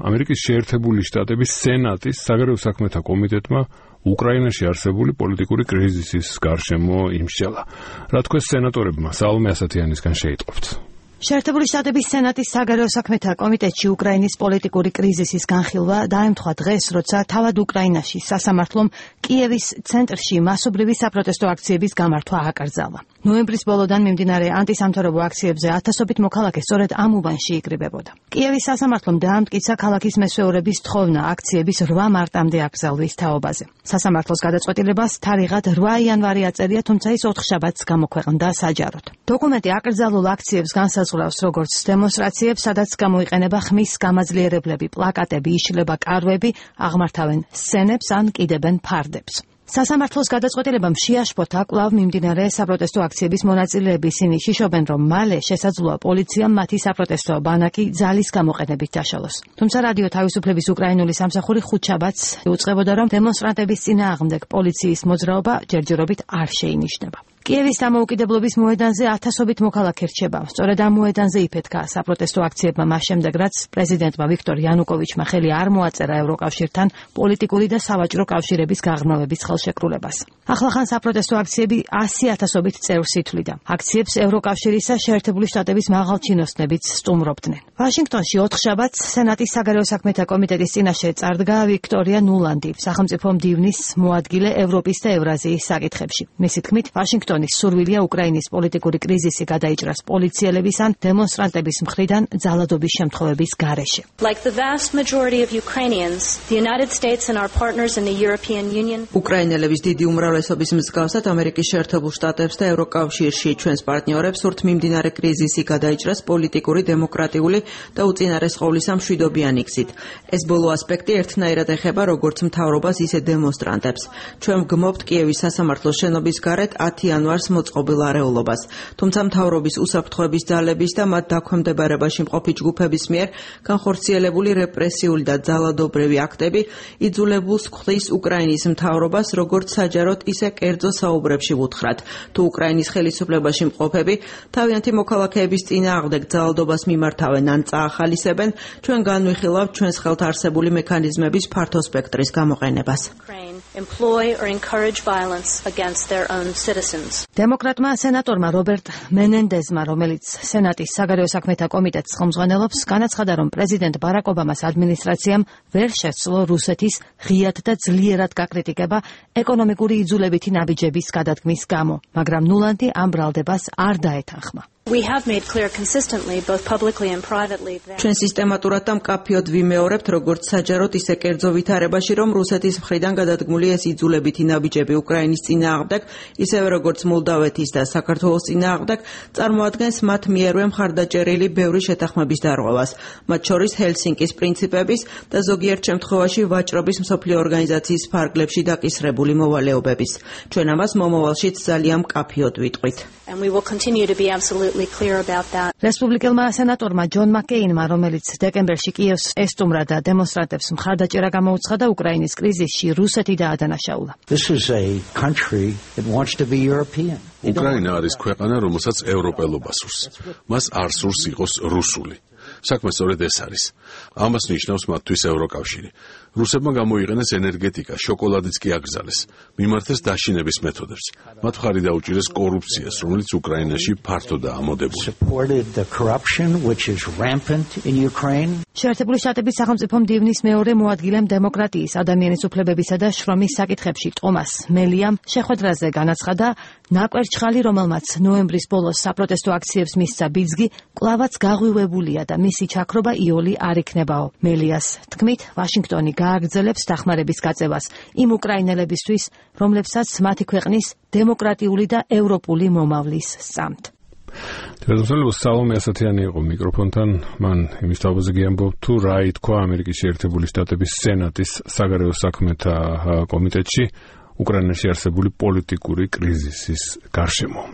ამერიკის შეერთებული შტატების სენატის საგარეო საქმეთა კომიტეტმა უკრაინაში არსებული პოლიტიკური კრიზისის გარშემო იმსჯელა. რა თქვეს სენატორებმა, სალომე ასათიანისგან შეიტყობთ. შეერთებული შტატების სენატის საგარეო საქმეთა კომიტეტში უკრაინის პოლიტიკური კრიზისის განხილვა დაემთხვა დღეს, როცა თავად უკრაინაში სასამართლომ კიევის ცენტრში მასობრივი საპროტესტო აქციების გამართვა აკრძალა. ნოემბრის ბოლოდან მიმდინარე ანტისამთავრობო აქციებზე ათასობით მოქალაქე სწორედ ამ უბანში იკრიბებოდა. კიევის სასამართლომ დაამტკიცა ქალაქის მესვეურების თხოვნა აქციების 8 მარტამდე აკრძალვის თაობაზე. სასამართლოს გადაწყვეტილებას თარიღად 8 იანვარი აწერია, თუმცა ის 4 შაბათს გამოქვეყნდა საჯაროდ. დოკუმენტი აკრძალულ აქციებს განსაზღვრავს როგორც დემონსტრაციებს, სადაც გამოიყენება ხმის გამაძლიერებლები, პლაკატები, იშლება კარვები, აღმართავენ სცენებს ან კიდებენ ფარდებს. სასამართლოს გადაწყვეტილებამ შეაშფოთა კვლავ მიმდინარე საპროტესტო აქციების მონაწილეები. ისინი შიშობენ, რომ მალე შესაძლოა პოლიციამ მათი საპროტესტო ბანაკი ძალის გამოყენებით დაშალოს. თუმცა რადიო თავისუფლების უკრაინული სამსახური 5 შაბათს იუწყებოდა, რომ დემონსტრანტების წინააღმდეგ პოლიციის მოძრაობა ჯერჯერობით არ შეინიშნება. კიევის დამოუკიდებლობის მოედანზე ათასობით მოქალაქე რჩება. სწორედ ამ მოედანზე იფეთქა საპროტესტო აქციებმა მას შემდეგ, რაც პრეზიდენტმა ვიქტორ იანუკოვიჩმა ხელი არ მოაწერა ევროკავშირთან პოლიტიკური და სავაჭრო კავშირების გაღრმავების ხელშეკრულებას. ახლახან საპროტესტო აქციები 100,000-ობით წევრს ითვლიდა. აქციებს ევროკავშირისა შეერთებული შტატების მაღალჩინოსნებიც სტუმრობდნენ. ვაშინგტონში 4 შაბათს სენატის საგარეო საქმეთა კომიტეტის წინაშე წარდგა ვიქტორია ნულანდი, სახელმწიფო მდივნის მოადგილე ევროპის და ევრაზიის საკითხებში. მისი თქმით, ვაშინგტონის სურვილია უკრაინის პოლიტიკური კრიზისი გადაიჭრას პოლიციელების ან დემონსტრანტების მხრიდან ძალადობის შემთხვევების გარეშე. უკრაინელების დიდი უმრავლესობის მსგავსად ამერიკის შეერთებულ შტატებს და ევროკავშირში ჩვენს პარტნიორებს სურთ მიმდინარე კრიზისი გადაიჭრას პოლიტიკური, დემოკრატიული და უწინარესყოვლის მშვიდობიანი გზით. ეს ბოლო ასპექტი ერთნაირად ეხება როგორც მთავრობას, ისე დემონსტრანტებს. ჩვენ ვგმობთ კიევის სასამართლოს შენობის გარეთ 10 იანვარს მოწყობილ არეულობას. თუმცა მთავრობის უსაფრთხოების ძალების და მათ დაქვემდებარებაში მყოფი ჯგუფების მიერ განხორციელებული რეპრესიული და ძალადობრივი აქტები იძულებულს ხდის უკრაინის მთავრობას როგორც საჯაროდ, ისე კერძო საუბრებში ვუთხრათ. თუ უკრაინის ხელისუფლებაში მყოფები თავიანთი მოქალაქეების წინააღმდეგ ძალადობას მიმართავენ ან წაახალისებენ, ჩვენ განვიხილავთ ჩვენს ხელთ არსებული მექანიზმების ფართო სპექტრის გამოყენებას. დემოკრატმა სენატორმა რობერტ მენენდეზმა, რომელიც სენატის საგარეო საქმეთა კომიტეტს ხელმძღვანელობს, განაცხადა, რომ პრეზიდენტ ბარაკ ობამას ადმინისტრაციამ ვერ შესძლო რუსეთის ღიად და ძლიერად გაკრიტიკება ეკონომიკური იძულებითი ნაბიჯების გადადგმის გამო, მაგრამ ნულანდი ამ ბრალდებას არ დაეთანხმა. ჩვენ სისტემატურად და მკაფიოდ ვიმეორებთ, როგორც საჯაროდ, ისე კერძო ვითარებაში, რომ რუსეთის მხრიდან გადადგმული ეს იძულებითი ნაბიჯები უკრაინის წინააღმდეგ, ისევე როგორც მოლდავეთის და საქართველოს წინააღმდეგ, წარმოადგენს მათ მიერვე მხარდაჭერილი ბევრი შეთანხმების დარღვევას, მათ შორის ჰელსინკის პრინციპების და ზოგიერთ შემთხვევაში ვაჭრობის მსოფლიო ორგანიზაციის ფარგლებში დაკისრებული მოვალეობების. ჩვენ ამას მომავალშიც ძალიან მკაფიოდ ვიტყვით. რესპუბლიკელმა სენატორმა ჯონ მაკეინმა, რომელიც დეკემბერში კიევს ესტუმრა და დემონსტრანტებს მხარდაჭერა გამოუცხადა, უკრაინის კრიზისში რუსეთი დაადანაშაულა. უკრაინა არის ქვეყანა, რომელსაც ევროპელობა სურს. მას არ სურს იყოს რუსული. საქმე სწორედ ეს არის. ამას ნიშნავს მათთვის ევროკავშირი. რუსებმა გამოიყენეს ენერგეტიკა, შოკოლადიც კი აკრძალეს. მიმართეს დაშინების მეთოდებს. მათ მხარი დაუჭირეს კორუფციას, რომელიც უკრაინაში ფართოდაა მოდებული. შეერთებული შტატების სახელმწიფო მდივნის მეორე მოადგილემ დემოკრატიის, ადამიანის უფლებებისა და შრომის საკითხებში ტომას მელიამ შეხვედრაზე განაცხადა, ნაკვერჩხალი, რომელმაც ნოემბრის ბოლოს საპროტესტო აქციებს მისცა ბიძგი, კვლავაც გაღვივებულია და მისი ჩაქრობა იოლი არ იქნებაო. მელიას თქმით, ვაშინგტონი გააგრძელებს დახმარების გაწევას იმ უკრაინელებისთვის, რომლებსაც მათი ქვეყნის დემოკრატიული და ევროპული მომავლის სწამთ. თვითმფრინავის სალომე ასათიანი იყო მიკროფონთან. მან იმის თავზე ამბობ თუ რა ითქვა ამერიკის შეერთებული შტატების სენატის საგარეო საქმეთა კომიტეტში უკრაინაში არსებული პოლიტიკური კრიზისის გარშემო.